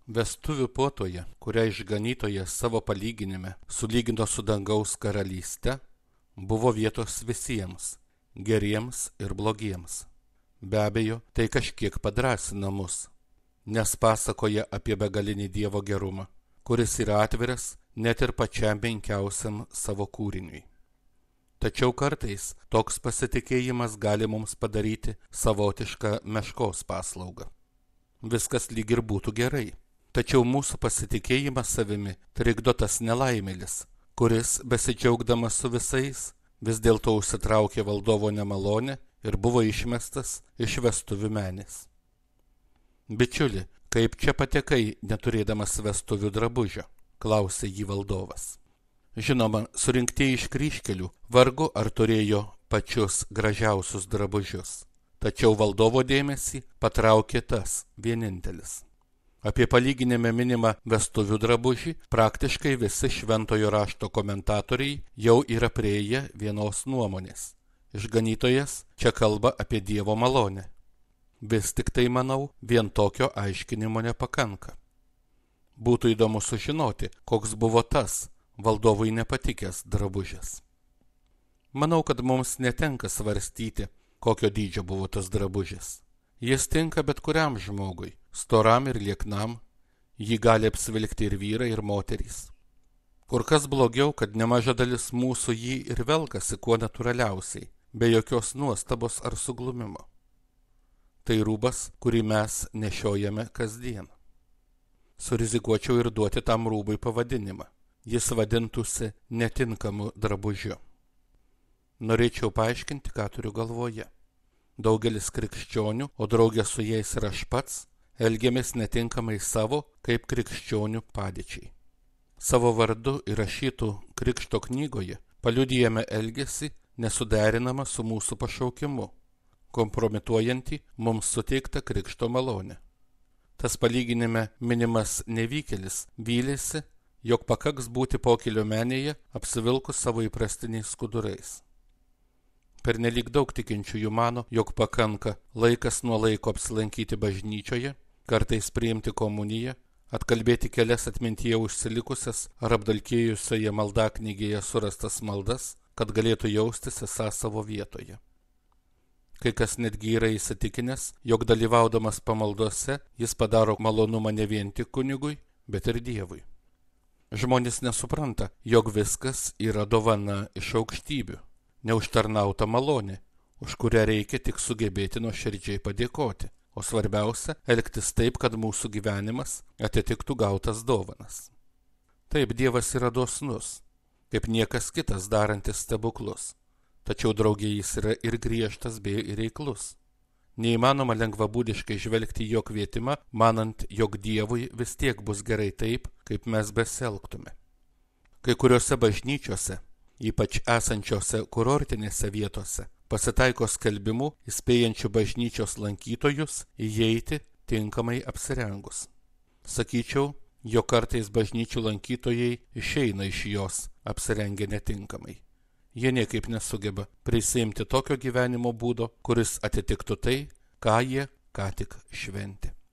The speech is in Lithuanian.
Vestuvių puotoje, kurią išganytojas savo palyginime sulygino su dangaus karalyste, buvo vietos visiems, geriems ir blogiems. Be abejo, tai kažkiek padrąsina mus, nes pasakoja apie begalinį Dievo gerumą, kuris yra atviras net ir pačiam menkiausiam savo kūriniui. Tačiau kartais toks pasitikėjimas gali mums padaryti savotišką meškos paslaugą. Viskas lyg ir būtų gerai, tačiau mūsų pasitikėjimas savimi trikdo tas nelaimėlis, kuris, besidžiaugdamas su visais, vis dėlto užsitraukė valdovo nemalonę ir buvo išmestas iš vestuvių menės. Bičiuli, kaip čia patekai, neturėdamas vestuvių drabužio, klausė jį valdovas. Žinoma, surinktieji iš kryžkelių vargu ar turėjo pačius gražiausius drabužius, tačiau valdovo dėmesį patraukė tas vienintelis. Apie palyginime minimą vestuvių drabužį praktiškai visi šventojo rašto komentatoriai jau yra priėję vienos nuomonės. Išganytojas čia kalba apie Dievo malonę. Vis tik tai, manau, vien tokio aiškinimo nepakanka. Būtų įdomu sužinoti, koks buvo tas valdovui nepatikęs drabužis. Manau, kad mums netenka svarstyti, kokio dydžio buvo tas drabužis. Jis tinka bet kuriam žmogui, storam ir lieknam, jį gali apsivilkti ir vyrai, ir moterys. Kur kas blogiau, kad nemaža dalis mūsų jį ir velkasi kuo natūraliausiai, be jokios nuostabos ar suglumimo. Tai rūbas, kurį mes nešiojame kasdien. Surizikuočiau ir duoti tam rūbui pavadinimą. Jis vadintųsi netinkamu drabužiu. Norėčiau paaiškinti, ką turiu galvoje. Daugelis krikščionių, o draugė su jais ir aš pats, elgiamės netinkamai savo kaip krikščionių padėčiai. Savo vardu įrašytų krikšto knygoje paliudijame elgesį nesuderinamą su mūsų pašaukimu, kompromituojantį mums suteiktą krikšto malonę. Tas palyginime minimas nevykėlis vylėsi, jog pakaks būti pokylio menėje apsivilkus savo įprastiniais skudurais. Pernelyg daug tikinčiųjų mano, jog pakanka laikas nuo laiko apsilankyti bažnyčioje, kartais priimti komuniją, atkalbėti kelias atmintyje užsilikusias ar apdalkėjusioje maldaknygėje surastas maldas, kad galėtų jaustis esą savo vietoje. Kai kas netgi yra įsitikinęs, jog dalyvaudamas pamaldose jis padaro malonumą ne vien tik kunigui, bet ir Dievui. Žmonės nesupranta, jog viskas yra dovana iš aukštybių, neužtarnauta malonė, už kurią reikia tik sugebėti nuoširdžiai padėkoti, o svarbiausia – elgtis taip, kad mūsų gyvenimas atitiktų gautas dovanas. Taip, Dievas yra dosnus, kaip niekas kitas darantis stebuklus, tačiau drauge jis yra ir griežtas bei reiklus. Neįmanoma lengvabūdiškai žvelgti jo kvietimą, manant, jog Dievui vis tiek bus gerai taip, kaip mes besielgtume. Kai kuriuose bažnyčiose, ypač esančiose kurortinėse vietose, pasitaiko skelbimų įspėjančių bažnyčios lankytojus įeiti tinkamai apsirengus. Sakyčiau, jog kartais bažnyčių lankytojai išeina iš jos apsirengę netinkamai. Jie niekaip nesugeba prisiimti tokio gyvenimo būdo, kuris atitiktų tai, ką jie ką tik šventė.